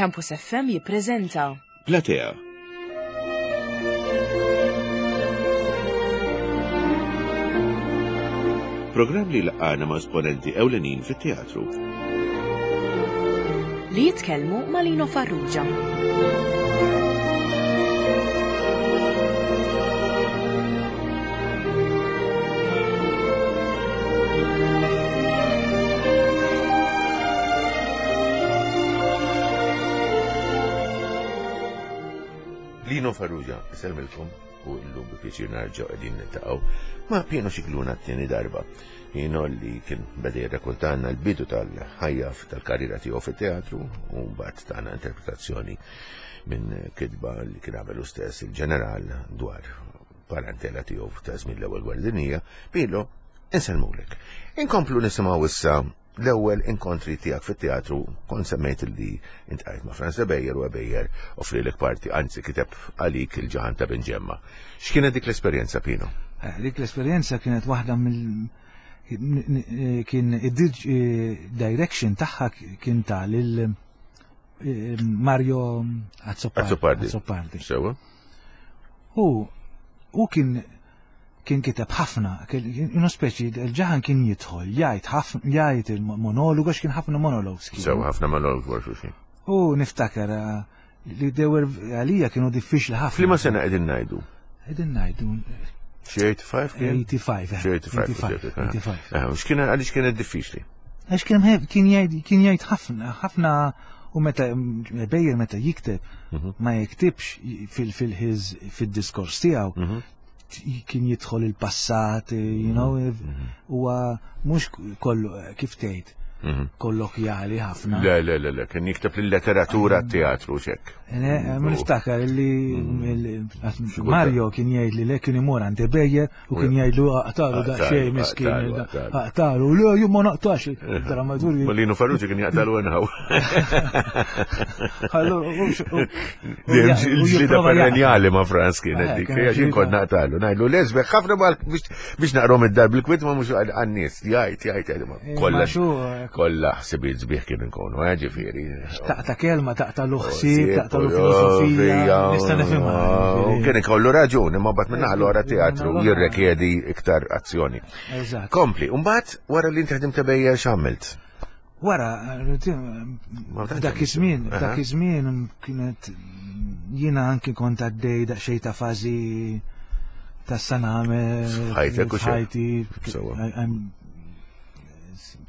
Campus FM jippreżenta Platea. Programm li laqgħana ma' esponenti ewlenin fit-teatru. Li jitkellmu ma' Lino Farrugia. Lino Farrugia, isellmilkom u llum bi pjaċir narġgħu qegħdin niltaqgħu ma' Pino Scicluna t-tieni darba. Pino li kien beda jirrakontanna l-bidu tal-ħajja tal-karriera tiegħu fit-teatru u mbagħad tana interpretazzjoni minn kitba li kien għamel stess il-ġeneral dwar parentela tiegħu ta' żmien l-ewwel gwerra dinjija, Pino, insellmulek. Inkomplu nisimgħu issa l-ewwel inkontri tiegħek fit-teatru kont semmejt li intqajt ma' Franz Ebejer u Ebejer offrilek parti, anzi kiteb għalik il-ġaħan ta' Binġemma. X'kienet dik l-esperjenza, Pino? Eh, dik l-esperjenza kienet waħda mill kien id-direction tagħha kien ta' lil eh, Mario Azzopardi. Azzopardi. Sewa. U u kien kien kiteb ħafna, kienu speċi, il-ġaħan kien jidħol, jgħid ħafna, jgħid il-monologu, għax kien ħafna monologs. Sew, ħafna monologs wara xulxin. U niftakar eh, li they were għalija kienu diffiċli ħafna. Flima sena qegħdin ngħidu? Qegħdin ngħidu. Xi 85 kien? 85. Xi 85. 85. Eh, x'kien għaliex kienet diffiċli? Għax kien kien jgħid kien jgħid ħafna ħafna u meta bejjer meta jikteb mhm. ma jiktibx fil-fil-ħiż fid-diskors tiegħu mhm. kien jidħol il-passat, you know, mhm. huwa mhux kollu kif tgħid kollokjali ħafna. Le, le, le, le, kien jikteb l-letteratura teatru xek. Eh, ma niftakar li mm. Mario kien jgħid li le kien imur għand Bejer U kien jgħidlu aqtalu daqsxejn miskin, aqtalu, le jien ma naqtax. Drammaturgi. Malino Farrugia kien jaqtalu enħaw. Il-ġlida perenjali ma' Franz kienet eh, dik, għax jien kont naqtalu, ngħidlu lesbeħ ħafna biex naqrom id-dar bil-kwit ma mhux għan-nies, jgħid, jgħid, eh, kollha eh. kollha ħsibiet sbieħ kien inkunu, ġifieri. Taqta' kelma, taqta' l-ħsieb, taqta' l-filosofija, nista' nifhimha. Kien ikollu raġun, imma mbagħad minn naħa l-oħra teatru jirrekjedi iktar azzjoni. Kompli, mbagħad wara li inti ħdimt bejja x'għamilt? Wara, dak iż-żmien, dak iż-żmien kienet jiena anki kont għaddej daqsxejn ta' fażi ta' saname. Ħajtek u ħajti.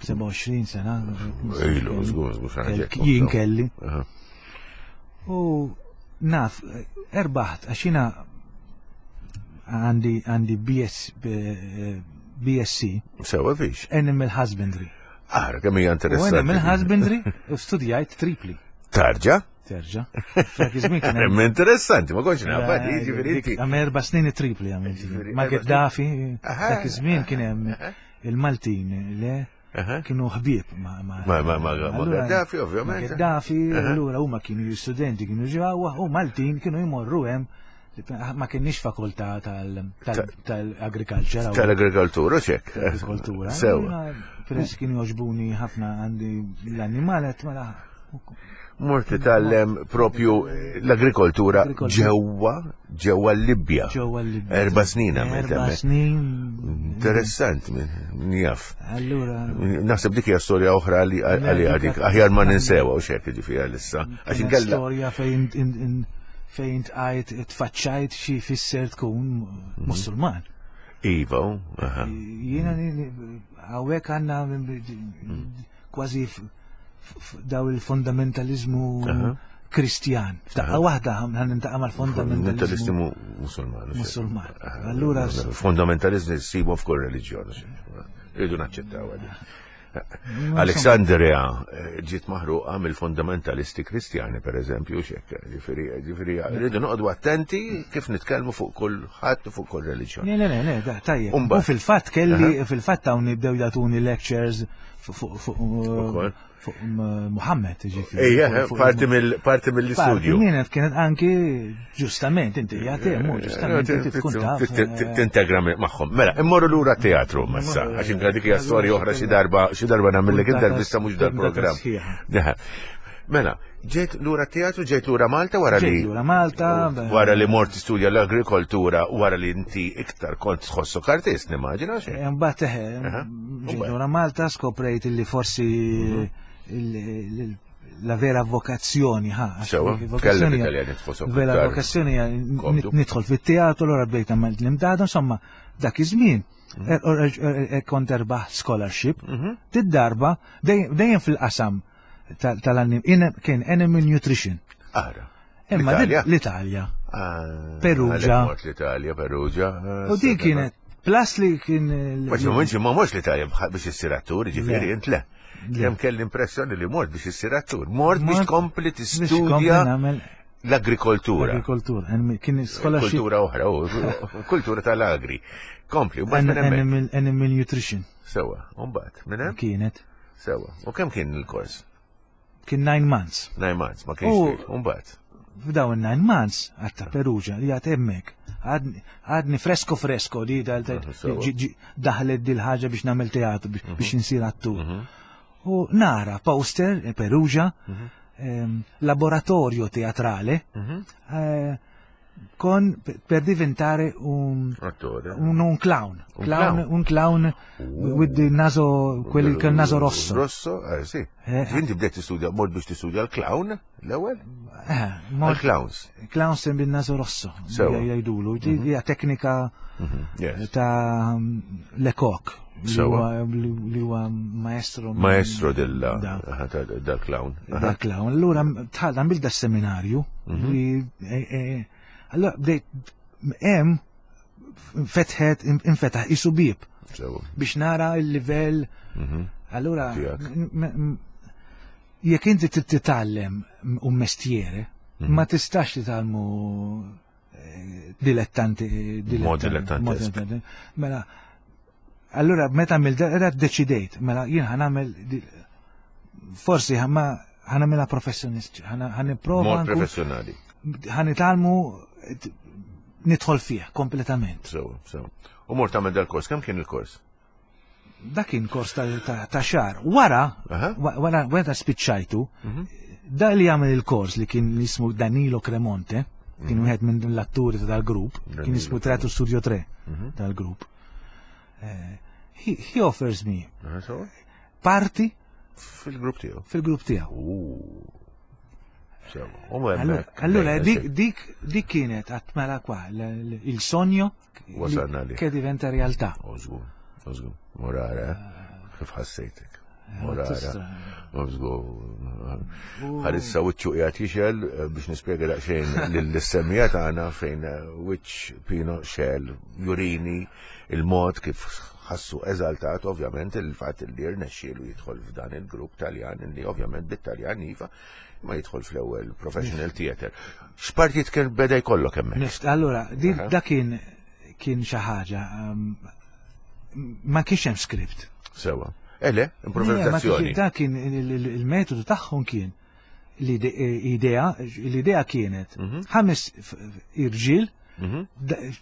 27 sena. Ilu, żgur, żgur, Jien kelli. U naf, erbaħt, għax jiena għandi għandi BS, BSc. Sewa fiex. Animal Husbandry. Ara, kemm hija interessanti. U Animal Husbandry u studjajt tripli. Tarġa? Terġa. Hemm interessanti, ma kontx naf, jiġifieri inti. Għam erba' snin tripli għamilt. Ma Gaddafi, dak iż-żmien kien hemm Il-Maltin le kienu ħbieb ma' ma' ma' Gaddafi ovvjament. Gaddafi, allura huma kienu studenti kienu ġewwa u Maltin kienu jmorru hemm ma kienniex fakultà tal-agriculture. Tal-agrikoltura, ċek. Agrikoltura. Sewa. Peress kienu joġbuni ħafna għandi l-annimalet, mela Mort titgħallem propju l-agrikoltura ġewwa ġewwa l-Libja. Ġewwa l-Libja. Erba' snin għamilt Erba' snin. Interessant, min jaf. Allura. Naħseb dik hija storja oħra li għalli għadik, aħjar ma ninsewa u xek ġifieri għalissa. Għax inkella. Storja fejn fejn tqajt tfaċċajt xi fisser tkun mhm. Musulman. Iva, aha. Jiena hawnhekk għandna mm. kważi daw il-fundamentalizmu Kristjan. F'daqqa waħda ħan nintaqa' mal-fundamentalizmu Musulman. Musulman. Allura fundamentalizmu ssibu f'kull reliġjon. Irridu naċċettaw għadi. Alexandria eh, ġiet maħruqa mill-fundamentalisti Kristjani, per eżempju, xek, ġifieri, ġifieri, rridu noqogħdu attenti kif nitkellmu fuq kull ħadd u fuq kull reliġjon. Le, le, le, tajjeb. U fil-fatt kelli, fil-fatt hawn jibdew jagħtuni lectures fuq fuq Muhammed, ġifieri. Ejja, parti mill-parti mill-istudju. Kienet kienet anki ġustament inti jagħti mu ġustament inti tkun taf. Tintegra magħhom. Mela, immorru lura teatru massa, għax inkella dik hija storja oħra xi darba xi darba nagħmellek intervista mhux dal-programm. Mela, ġejt lura teatru, ġejt lura Malta wara li. Ġejt lura Malta. Wara li mort studja l-agrikoltura, wara li inti iktar kont tħossok artist, nimmaġina xejn. Eh, mbagħad eh, ġejt lura Malta skoprejt li forsi mhm. la vera vokazzjoni, ha. Sewa, tkellem Italjan tħossok. Vera vokazzjoni nidħol fit-teatru, allura bdejt nagħmel l-imdada, insomma, dak iż-żmien mhm. er, er, kont erbaħ scholarship, mhm. tid-darba dejjem fil-qasam tal-annim, kien Animal Nutrition. Ara. Imma l-Italja. Ah, Perugia. L-Italja, Perugia. Ah, U din kienet, plus li kien. Ma ġi ma mhux l-Italja biex issir attur, ġifieri int le. Kemm kelli impressjoni li mort biex issir attur. Mort biex tkompli tistudja l-agrikoltura. L-agrikoltura. Kien scholarship. Kultura oħra, kultura tal-agri. Kompli, u Animal Nutrition. Sewa, u mbagħad minn hemm? Kienet. Sewa. U kemm kien il-kors? Kien 9 months. 9 months, ma kienx. U mbagħad. F'dawn 9 months għatta Perugia li għad hemmhekk. Għadni fresko fresko li daħlet dil ħaġa biex nagħmel teatru biex mhm. insir attur. Mhm. U nara poster eh, Perugia, mhm. ehm, laboratorio teatrale, eh, con per diventare un Attore. Un, un clown. Un clown, clown. Un clown with the naso, quelli con naso rosso. Rosso, eh, sì. Eh. Inti bdejt tistudja, mort biex tistudja l-clown l-ewwel? Eh, mort Għal-clowns. Clown sem bil-naso rosso. Sewa. Jgħidulu. Hija teknika Mhm, Yes. ta' Lecoq. Li Sewa. huwa- Li huwa maestro. Maestro della Da. aha, ta- dal-clown. Aha. Da clown. Allura tħal għamil da seminarju Mhm. li eh, eh, allura bdejt hemm fetħet infetaħ isu bib Sewa. biex nara il-livell. Mhm. Allura Tiegħek. m- m- jekk inti trid titgħallem un mestiere, Mhm. ma tistax titgħallmu eh, dilettanti Mod dilettantesk. mod dilettanti. Mela allura meta għamil da deċidejt, mela jien ħanamel di- forsi ħamma ħanamilha professjonist, ħaniprova Mod nkun- professjonali. ħanitalmu nidħol fih kompletament. Sewa, sewa. U mort tagħmel dal-kors, kemm kien il-kors? Dak kien kors ta', ta, ta xar. Wara, Aha. wa- wara, wara spiċċajtu, Mhm. da li għamel il-kors li kien jismu Danilo Cremonte, kien wieħed minn l-atturi ta' dal-grupp, kien Mhm. Danilo jismu Teatro Studio 3 Mhm. tal-grupp. Eh, he, he offers me Aha, sewa. parti Fil-grupp tiegħu. fil-grupp tiegħu. U. Sewa. U Allora, hemmhekk allora bdejna dik, dik, dik kienet għatmela kwa, l- l- il sogno Wasalna li. che diventa realtà. Użgur, użgur. Morara, eh? kif ħassejtek? Morara. Tistra. Użgur. Bħalissa wiċċu qiegħed jixel eh, biex nispjega daqsxejn lill-semmija tagħna fejn eh, wiċċ Pino xel jurini il-mod kif ħassu eżaltat ovvjament il-fatt li rnexxielu jidħol f'dan il-grupp Taljan li ovvjament bit-Taljan iva ma jidħol fl-ewwel professional theater. X'partit kien beda jkollok hemmhekk? Nift, allora, di, Aha. da kien kien xi ħaġa um, ma kienx hemm script. Sewa. Ele, Le, ma improvvizazzjoni. kienx- Da kien il- il- il-metodu tagħhom kien l-idea, l-idea kienet Mhm. ħames irġiel Mhm.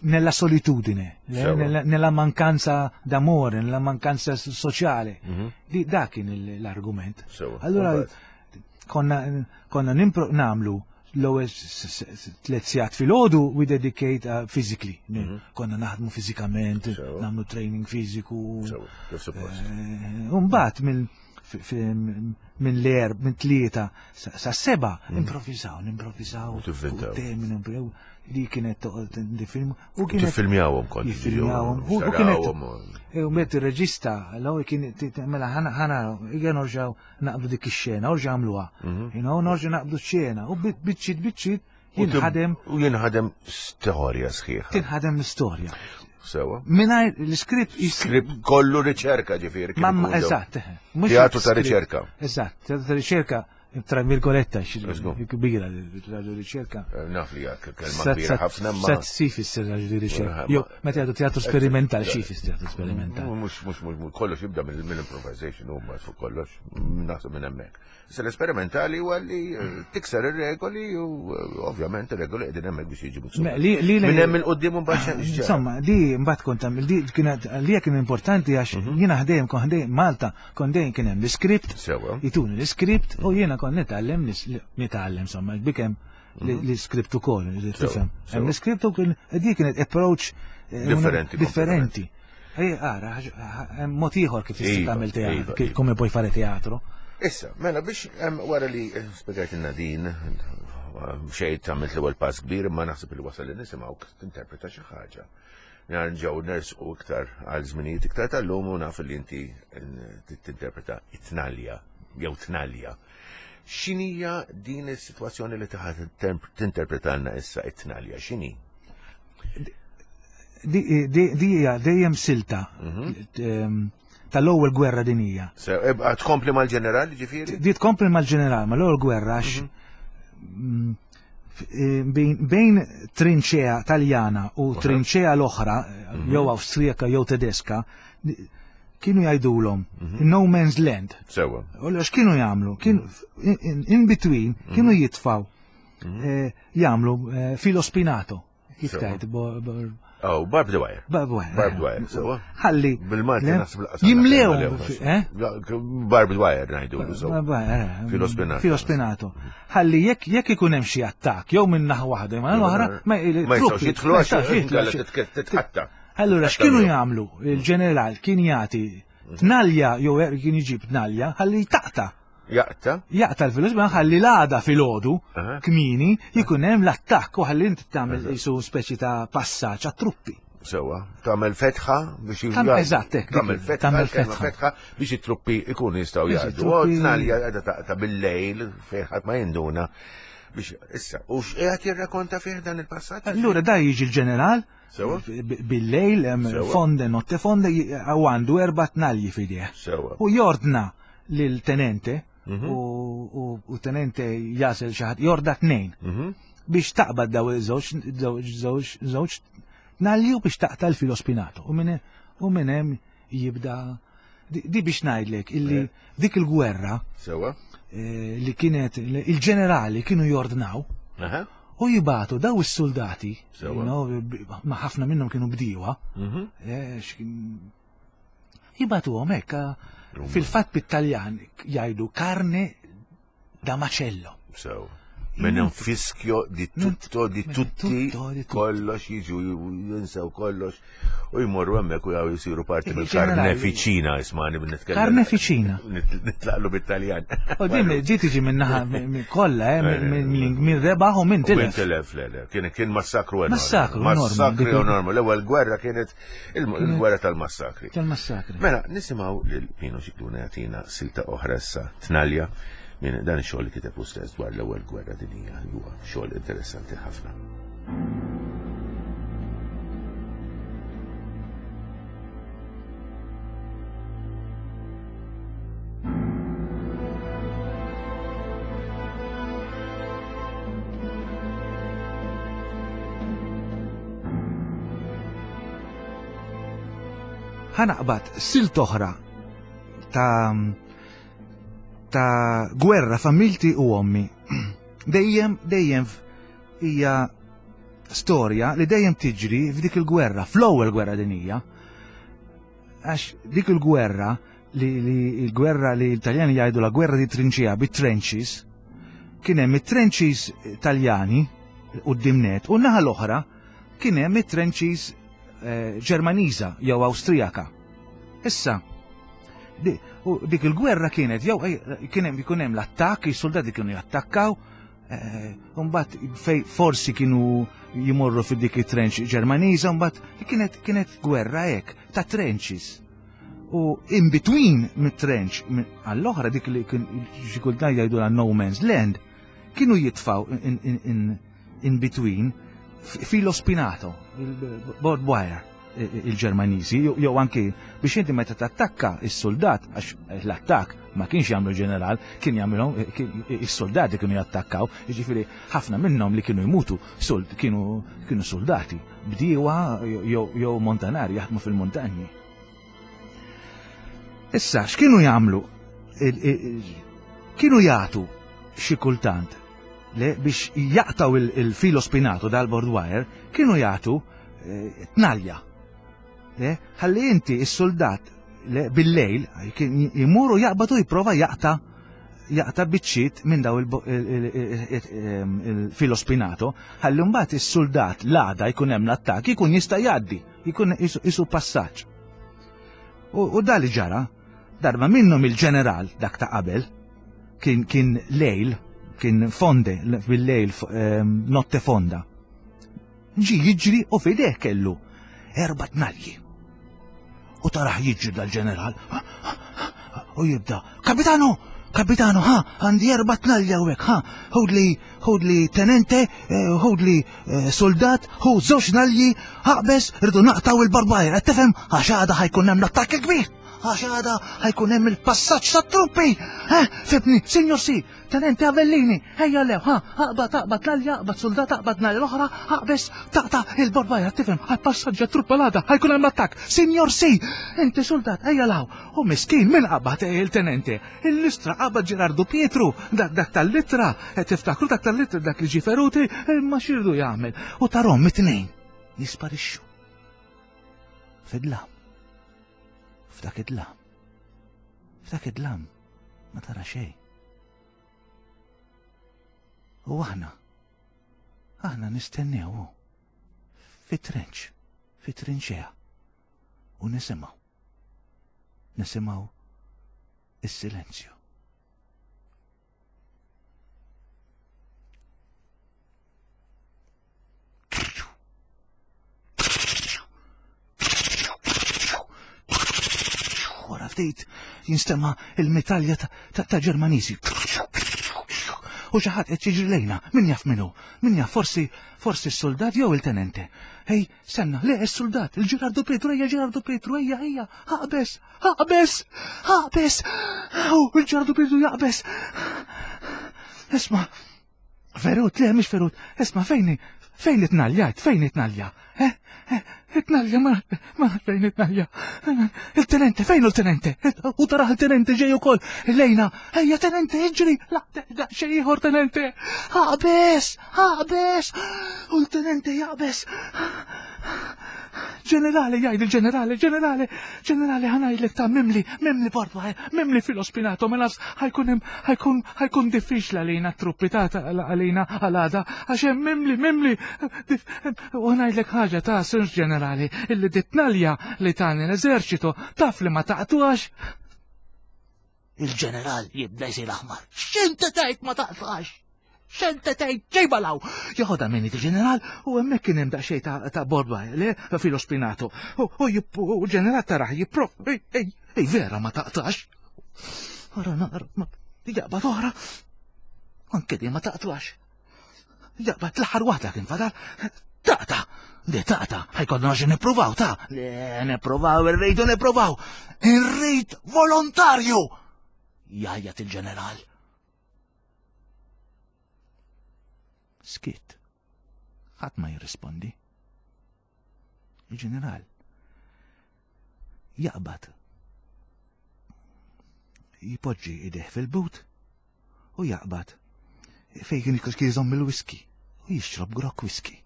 nella solitudine, Sewa. nella mancanza d'amore, nella mancanza sociale. Mhm. Di, da kien l-argument. Sewa. Allora Mbagħad. konna konna nimpro namlu l-ewwel tliet sigħat filgħodu we dedicate uh, physically. Konna naħdmu fiżikament, Mhm. Sewa. nagħmlu training fiżiku. Sewa, kif suppost. Eh, Umbagħad minn minn l-erb, minn tlieta sa sa seba, improvvisaw, improvvisaw. Mhm. U tivvintaw. fuq temi, nimprovvisaw. Li kienet toqgħod di film. U kienet Tiffilmjawhom kont. Jiffilmjawhom. U kienet Tarawhom u- E, U met il-reġista, l-ewwel kien mela ħana ħana ejja norġgħu naqbdu dik ix-xena, orġa' għamluha. You know, norġgħu naqbdu x-xena u biċċiet biċċiet U tib- jinħadem U jinħadem storja sħiħa. tinħadem l-istorja. Sewa. Mingħajr l-iskript Skript kollu riċerka ġifieri. kien Mamma, ikun dawn. eżatt. eh, mhux Teatru ta' script. riċerka. Eżatt, teatru ta' riċerka, tra virgoletta, Let's go. kbira teatru riċerka. Eh, Naf li jak kelma Sat kbira ħafna ma. sat si fisser li riċerka. Ma- Jo, meta jgħidu teatru sperimental, xi fisser teatru sperimental. Mux, mux, mux, kollox jibda mill-improvisation u ma fuq kollox, naħseb minn hemmhekk. Issa l-esperimentali huwa li eh, tikser ir-regoli u eh, ovvjament ir-regoli qegħdin hemmhekk biex jiġu miksub. Me, li- li- Minn hemm il-qudiem u mbagħad x'ġara. Insomma, di mbagħad kont tagħmel di kienet li kien importanti għax Mhm. jiena ħdejjem kont ħdejjem Malta kont dejjem kien hemm l-iskript, Sewa. jituni l-iskript u jiena kont nitgħallem nitgħallem insomma bikem mhm. l-iskript ukoll, tifhem. Hemm l-iskript ukoll di kienet approach eh, differenti. Differenti. Ej, ara, hemm mod ieħor kif tista' iva, tagħmel teatru, iva, iva. come puoi fare teatro. Issa, mela biex wara li spjegajtilna din, xejn tagħmel l-ewwel pass kbir, imma naħseb li wasal li nisimgħu tinterpreta xi ħaġa. Nerġgħu nersqu iktar għal żminijiet iktar tal-lum u naf li inti tinterpreta it-tnalja jew tnalja. X'inhija din is-sitwazzjoni li taħat tinterpretalna issa it-tnalja? X'inhi? Di hija dejjem silta mhm. tal-ewwel gwerra dinija. Eh, tkompli mal-ġeneral ġifieri? Di tkompli mal-ġeneral, mal-ewwel gwerra għax mhm. mm, eh, bejn trinċea taljana u trinċea l-oħra, mhm. jew Awstrijaka jew Tedeska, kienu jgħidulhom mhm. no man's land. Sewa. U x'kienu jagħmlu? Kienu in between kienu jitfaw eh, jagħmlu filo spinato. Kif tajt? Oh, barbed wire. Barbed wire. Barbed wire, sewa. Ħalli. Bil-Malti nasib laqas. Jimlew. Eh? Barbed wire ngħidu. Eh. Filo spinato. Filo spinato. Ħalli jekk jekk ikun hemm xi attakk jew minn naħa waħda ma l-oħra ma jistgħux jidħlu għax titqatta. Allura x'kienu jagħmlu? Il-ġeneral kien jagħti tnalja jew er, kien iġib tnalja ħalli taqta' Jaqta? Jaqta l-filus, ma ħalli l-għada fil-ħodu, kmini, jikun hemm l-attakk u ħalli inti tagħmel jisu speċi ta' passaġġ għat-truppi. Sewa, tagħmel fetħa biex Eżatt, hekk. Tagħmel fetħa, fetħa biex it-truppi ikunu jistgħu jgħaddu. Tnalja qiegħda taqta' bil-lejl fejn ħadd ma jinduna biex issa u x'qiegħed jirrakonta fih dan il-passaġġ? Allura da jiġi l-ġeneral Bil-lejl, fonde, notte fonde, u għandu erba tnalji fideh. U jordna lil tenente, mhm. u tenente jasel xaħat, jorda tnejn. Mhm. Biex taqbad daw iż-żewġ, żewġ tnalji u biex taqta l-filo spinato. U minn hemm jibda di biex ngħidlek illi eh. dik il-gwerra Sewa. Eh, li kienet il-ġenerali kienu jordnaw u jibatu daw is-soldati ma ħafna minnhom kienu bdiewa mhm. eh, jibatuhom hekk fil-fatt bit-Taljan jgħidu karne da macello. So, minn un fischio di tutto, di tutti, kollox jiġu jinsew kollox u jmorru hemmhekk u jgħu jisiru parti mill-karnefiċina ismani nitkellem. Karnefiċina. Nitlaqlu bit-Taljan. U din ġi tiġi minn naħa kollha, eh, minn rebaħ u minn tilef. Minn tilef, le, le. Kien kien massakru enormi. Massakru Massakru enormi. L-ewwel gwerra kienet il-gwerra tal-massakri. Tal-massakri. Mela, nisimgħu lil Pino Xikduna jagħtina silta oħra issa tnalja minn dan ix-xogħol li kiteb hu stess dwar l-ewwel gwerra dinjija li huwa xogħol interessanti ħafna. Ħanaqbad silt oħra ta' ta' gwerra familti u ommi. Dejjem, dejjem hija storja li dejjem tiġri f'dik il-gwerra, fl-ewwel gwerra dinija. Għax dik il-gwerra li, li il-gwerra li l-Taljani jgħidu la gwerra di trinċija bit-trenches, kien hemm it-trenches Taljani quddiem net u naħa l-oħra kien hemm it-trenches eh, Ġermaniża jew Awstrijaka. Issa, dik il-gwerra kienet jew eh, kien hemm ikun hemm l-attakk, is-soldati kienu jattakkaw, eh, mbagħad fej forsi kienu jimorru fi dik it-trench Ġermaniża, mbagħad kienet kienet gwerra hekk ta' trenches. U in between mit-trench għall-oħra dik li kien xi kultant jgħidu la no man's land, kienu jitfaw in, in, in, in between filo spinato, il-board wire il-Ġermaniżi, jew anki biex inti meta tattakka is-soldat, għax l-attakk ma kienx jagħmlu ġeneral, kien jagħmilhom is-soldati kienu jattakkaw, jiġifieri ħafna minnhom li kienu jmutu kienu kienu soldati, bdiewa jew montanari jaħdmu fil-muntanji. Issa, x'kienu jagħmlu? Kienu jagħtu xi kultant Le, biex jaqtaw il-filo spinato dal-board wire, kienu jagħtu eh, tnalja. Le, ħalli inti is-soldat bil-lejl jimuru jaqbadu jipprova jaqta' jaqta' biċċiet minn daw il-filo spinato, ħalli mbagħad is-suldat l-għada jkun hemm l-attakk jkun jista' jgħaddi, jkun isu passaġġ. U da li ġara, darba minnhom il-ġeneral dak ta' qabel, kien kien lejl, kien fonde bil-lejl notte fonda. Ġi jiġri u fideh kellu erba' tnalji. U taraħ jiġri dal-ġeneral u jibda, Kapitano, kapitano, ha, għandi erba' tnalja hawnhekk, ha, ħudli ħudli tenente, eh, ħudli eh, soldat, hu żewġ nalji, aqbeż, rridu naqtaw il-barbajr, qed tifhem għax għada ħajkun hemm l-attakk il-kbir, għax għada ħajkun hemm il-passaġġ tat-truppi, eh, fibni, signor si, Tenente Avellini, ejja lew, ha, aqbad, aqbad l-alja, aqbad soldat, aqbad nhar l-oħra, aqbeż, taqta' il-barbajr, tifhem, għall-passaġġ truppa l-għada, ħajkun hemm l-attakk. Signor si, inti soldat, ejja law. U miskin, min qabad il-tenente? Il-listra qabad Ġerardu Pietru, dak dak tal-littra, eh, tiftakru dak tal-littra dak li ġie feruti, imma x'irdu jagħmel. U tarhom it-tnejn jisparixxu. Fid-dlam. F'dak id-dlam. F'dak id-dlam ma tara xejn. U aħna, aħna nistennew fit-trenċ, fit-trinċea, u nisimgħu, nisimgħu is-silenzju. Wara ftit jinstema' il-mitalja ta' Ġermaniżi. U xi ħadd qed jiġri lejna, min jaf min hu, min jaf forsi forsi s-soldat jew il-tenente. Ej, senna, le s-soldat, il-Ġerardu Pietru, ejja Ġerardu Pietru, ejja, ejja, aqbeż, aqbeż, aqbeż, u il-Ġerardu Pietru jaqbeż. Isma', Ferut, le, mhix ferut. Isma' fejn fejn itnalja, fejn itnalja? Eh, eh, itnalja, ma ma fejn itnalja. Il-tenente, fejn il-tenente? U taraħ il-tenente ġej ukoll. Lejna, ejja tenente, iġri, la, da, xejn ieħor tenente. Aqbeż, aqbeż. U l-tenente jaqbeż. Ġenerali, jgħid il-ġenerali, ġenerali, ġenerali ħanajdlek ta' mimli, mimli portwa, mimli filo spinato, ma nafx ħajkun ħajkun ħajkun diffiċli għalina truppi ta' għalina għal-għada, għax hemm mimli, mimli. U ħanajdlek ħaġa ta' Sir Ġenerali, illi ditnalja li tani l-eżerċitu taf li ma taqtuax. Il-ġeneral jibda jsir aħmar. X'inti tgħid ma taqtax? X'inti tgħid ġejba law! Joħodha minn il-ġeneral u hemmhekk kien hemm daqsxejn ta' borba le filo spinato. U l-ġeneral taraħ jipprov. Ej, ej, vera ma taqtax. Ara naqra, jaqbad oħra. Anke di ma taqtax. Jaqbad l-aħħar waħda kien fadal. Taqta! Di taqta, ħajkonna xi nippruvaw ta' le nippruvaw irridu nippruvaw. Irrid volontarju! Jgħajjat il-ġeneral. Skit. Ħadd ma jirrispondi. Il-ġeneral jaqbad jipoġġi ideh fil-but u jaqbad fejn kien jżomm il-whisky u jixrob grok whisky.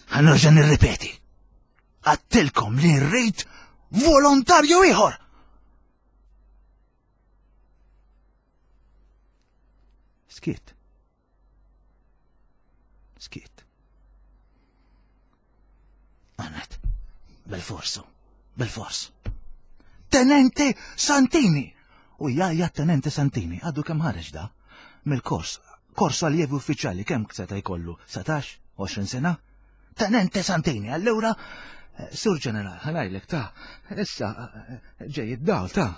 Ħanerġa' nirripeti. Għattilkom li rrid volontarju ieħor. Skiet. Skiet. Għanet, bil-forsu, bil-fors. Tenente Santini! U jgħajja Tenente Santini, għadu kemm ħareġ da? Mill-kors, kors allievi uffiċjali kemm seta' jkollu? 17, 20 sena? Tenente Santini, allura Sur Ġeneral, ħanajlek ta' issa ġej id-dawl ta'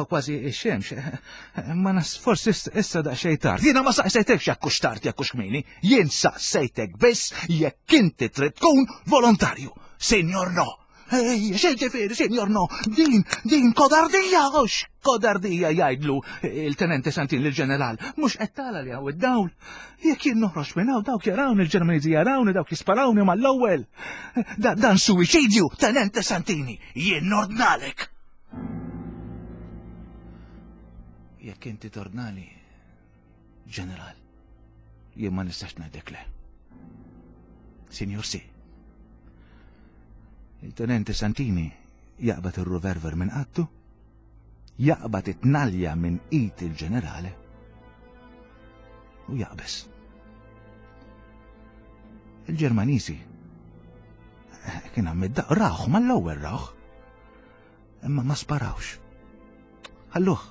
kważi ix-xemx, ma nas forsi issa daqsxejn tard. Jiena ma saqsejtekx jekk hux tard jekk hux kmieni, jien saqsejtek biss jekk inti trid tkun volontarju. Sinjor no. Ej, x'ġifieri, sinjor no, din, din kodardija, hux kodardija jgħidlu il-Tenente Santin lill-Ġeneral, mhux qed tara li hawn id-dawl. Jekk jien noħroġ minn hawn dawk jarawni l-Ġermaniżi jarawni dawk jisparawni mal-ewwel. Da, dan suwiċidju, Tenente Santini, jien nordnalek. Jekk inti tordnali, ġeneral, jien ma nistax ngħidlek le. Sinjur si. Il-Tenente Santini Jaqbad ir-revolver minn qattu, jaqbad it-tnalja minn id il-ġenerale u jaqbeż. Il-Ġermaniżi kien hemm id-daq rawh mal-ewwel rawh. Imma ma sparawx. Ħalluh.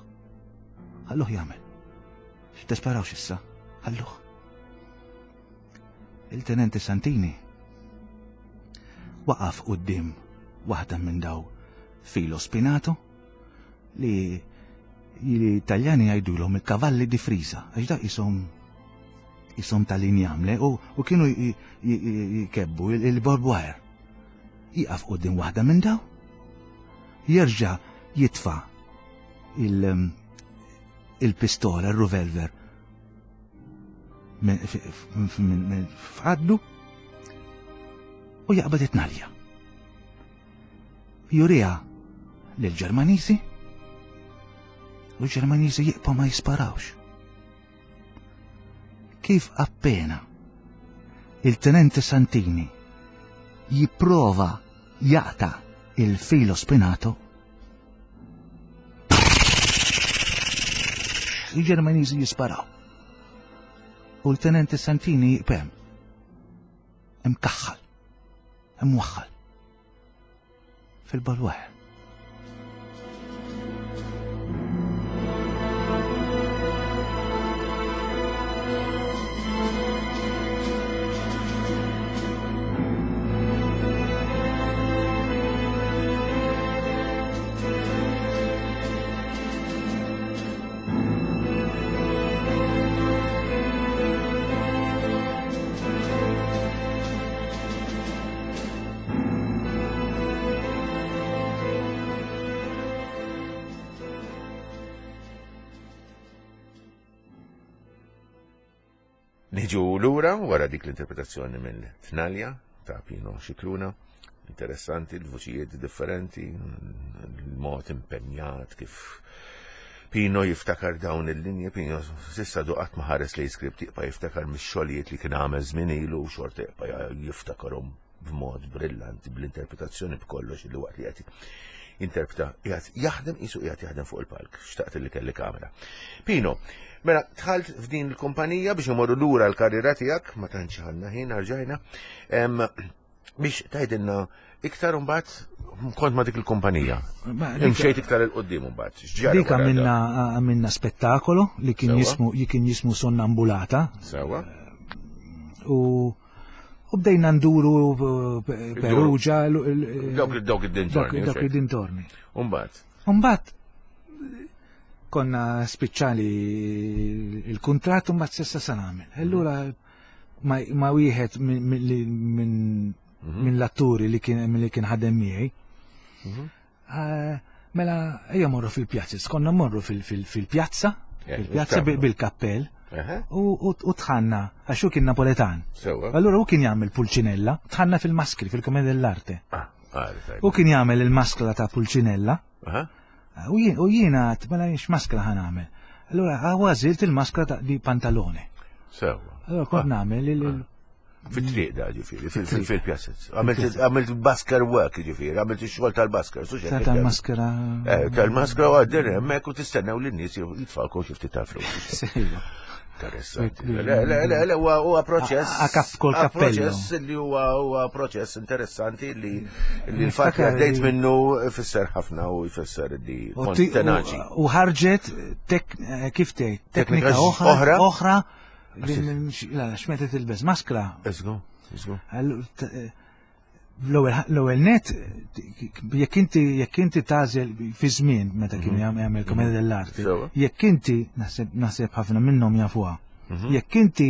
Ħalluh jagħmel. Tisparawx issa. Ħalluh. Il-Tenenti Santini waqaf quddiem waħda minn daw filo spinato li l-Italjani jgħidulhom il-kavalli di frisa, għax da isom isom tal-injam le u, u kienu jkebbu il-barbed wire. Jieqaf quddiem waħda minn daw, jerġa' jitfa' il-pistola, il-revolver f'għaddu u jaqbad it-tnalja. Juriha lill-Ġermaniżi u l-Ġermaniżi jibqa' ma jisparawx. Kif appena il-Tenente Santini jipprova jaqta' il-filo spinato, il-Ġermaniżi jisparaw. U l-Tenente Santini jibem. Imkaħħal. Imwaħħal. Fil-balwaħ. Niġu lura wara dik l-interpretazzjoni minn Tnalja ta' Pino Scicluna. Interessanti, l-vuċijiet differenti, l-mod impenjat kif Pino jiftakar dawn il-linji, Pino sissa du qatt ma ħares li skript jibqa' jiftakar mix-xogħlijiet li kien għamel żmien ilu u xorta jibqa' jiftakarhom b'mod brillanti bl-interpretazzjoni b'kollox li waqt li qed jinterpreta qiegħed jaħdem qisu qiegħed jaħdem fuq il-palk. Xtaqt li kelli kamera. Pino, mela dħalt f'din il-kumpanija biex imorru lura l-karriera tiegħek, ma tantx għandna ħin rġajna, biex tgħidilna iktar imbagħad kont ma dik il-kumpanija. Imxejt iktar il-qoddim imbagħad. Dik għamilna għamilna spettakolo li kien jismu li kien jismu Sonnambulata. Sewa. U U bdejna nduru eh, Perugia. Dawk dawk id-dintorni. Dawk id-dintorni. Umbat. Umbat konna spiċċali il-kontrat u mbagħad sessa sa nagħmel. Allura ma wieħed minn mhm. l-atturi li kien li kien ħadem miegħi. Mhm. Eh, mela ejja morru fil-pjazza, konna morru fil-pjazza, eh, fil-pjazza bil-kappell. U tħanna, għax hu kien Napoletan. Allura hu kien jagħmel Pulcinella, tħanna fil-maskri, fil-Commedia dell'Arte. Ah, ah, u kien jagħmel il-maskla ta' Pulcinella. U jiena għat, mela jiex maskla ħan għamel. Allura għażilt il-maskla ta' di pantalone. Sewa. Allura kont ah. nagħmel il ah. Fit-triq da ġifieri, fil-pjazzez. Għamilt basker work ġifieri, għamilt ix-xogħol tal-basker. Tal-maskra. Eh, tal-maskra u għaddir hemmhekk u tistennew lin-nies jitfalkom xi ftit ta' flus. Interessanti. Le, le, le, le, huwa proċess. Kol kappello. Proċess li huwa huwa proċess interessanti li li l-fatt li għaddejt minnu ifisser ħafna u jfisser li kont tenaċi. U ħarġet eh, kif tgħid, teknika oħra oħra La, x'meta tilbes maskra. Eżgu, eżgu. Eh, l-ewwel net jekk inti jekk inti tażel fi żmien meta kien mhm. jagħmel komedja mhm. dell'arte, jekk inti naħseb ħafna minnhom jafuha. Mhm. Jekk inti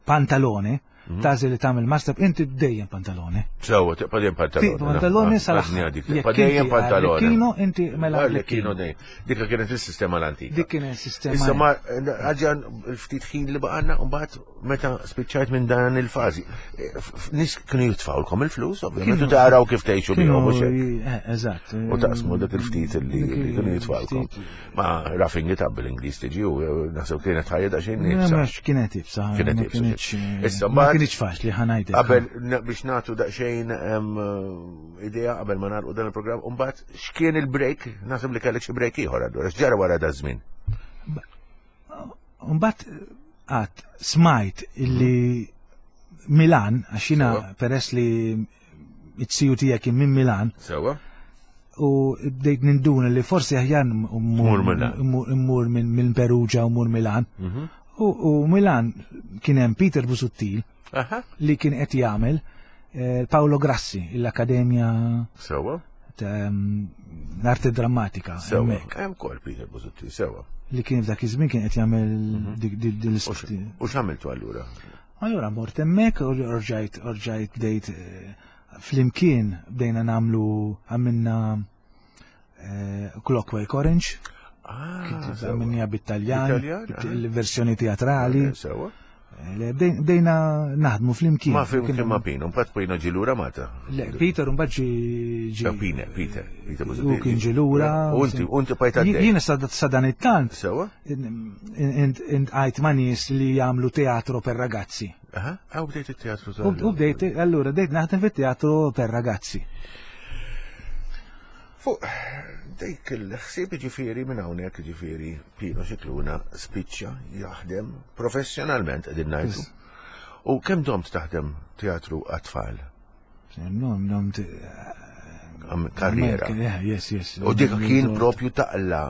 pantalone, tażel li tagħmel master inti dejjem pantalone. Sewa, tibqa' dejjem pantalone. Pantalone sal Tibqa' dejjem pantalone. Kienu inti mela. Kienu dejjem. Dik kienet is-sistema l-antika. Dik kienet is-sistema. Issa ma għadġan il-ftit ħin li baqanna u mbagħad meta spiċċajt minn dan il-fażi. Nis kienu jitfawlkom il-flus, ovvjament, u taraw kif tgħixu bihom u xejn. Eh, eżatt. U taqsmu dak il-ftit li kienu jitfawlkom. Ma roughing it up bil-Ingliż tiġi u eh, naħseb kienet ħajja daqsxejn nibsa. Kienet ibsa. Kienet ibsa. Issa mbagħad. kienx faċli ħa ngħidlek. Qabel biex nagħtu daqsxejn idea qabel ma nagħlqu dan il-programm, u mbagħad x'kien il-break? Naħseb li kellek xi break ieħor allura, x'ġara wara da żmien? Mbagħad għad smajt illi Milan, għax jiena peress li it-siju tiegħek kien minn Milan. Sewa. U bdejt ninduna li forsi aħjar mmur minn Perugia u mmur Milan. Mhm. U Milan kien hemm Peter Busuttil li kien qed jagħmel eh, Paolo Grassi, l-Akkademja Sewa. L-arti drammatika. Sewa. Hemm kol Peter Busuttil, sewa. Li kien f'dak iż-żmien kien qed jagħmel mhm. dik l U x'għamiltu allura? Allura mort hemmhekk u rġajt rġajt bdejt eh, flimkien bdejna nagħmlu għamilna eh, Clockwork Orange. Ah, għamilniha bit-Taljan, il-versjoni teatrali. Sewa. Eh, bdejna naħdmu flimkien. Ma flimkien ma Pino, mbagħad Pino ġi lura Malta. Le, Peter mbagħad ġi ġi. Pine, Peter, Peter U kien ġi lura. U inti, u inti pajta Jiena sa dan it-tant. Sewa. Intqajt ma' nies li jagħmlu teatro per ragazzi. Aha, u bdejt it-teatru U bdejt, allura bdejt naħdem fit-teatru per ragazzi. Fuq dik il-ħsieb ġifieri minn hawnhekk ġifieri Pino Scicluna spiċċa jaħdem professjonalment qegħdin ngħidu. U kemm domt taħdem teatru għat-tfal? Domt karriera. Yes, yes. U dik kien propju taqla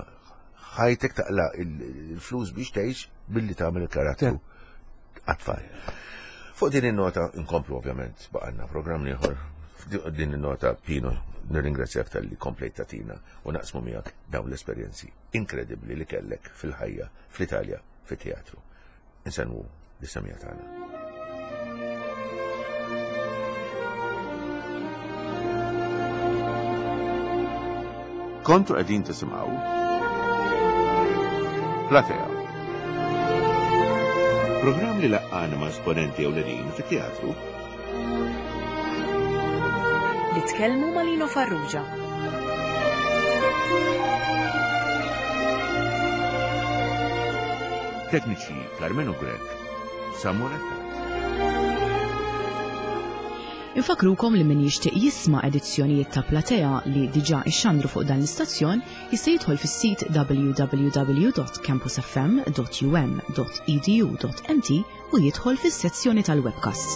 ħajtek taqla il-flus biex tgħix billi tagħmel il-karattru għat-tfal. Fuq din in-nota nkomplu ovvjament baqanna programm ieħor. Din in-nota Pino nirringrazzjak tal-li komplejt tatina u naqsmu miegħek dawn l-esperjenzi inkredibbli li kellek fil-ħajja fl-Italja fit-teatru. Insellmu lis-semija tagħna. Kontu qegħdin tisimgħu Platea. Programm li laqqana ma' esponenti ewlenin fit-teatru. Li tkellmu ma' Lino Farrugia. Tekniċi Karmenu Grech, Samuel Attard. Infakrukom li min jixtieq jisma' edizzjonijiet ta' Platea li diġà ixxandru fuq dan l-istazzjon jista' jidħol fis-sit www.campusfm.um.edu.mt u jidħol fis-sezzjoni tal-webcasts.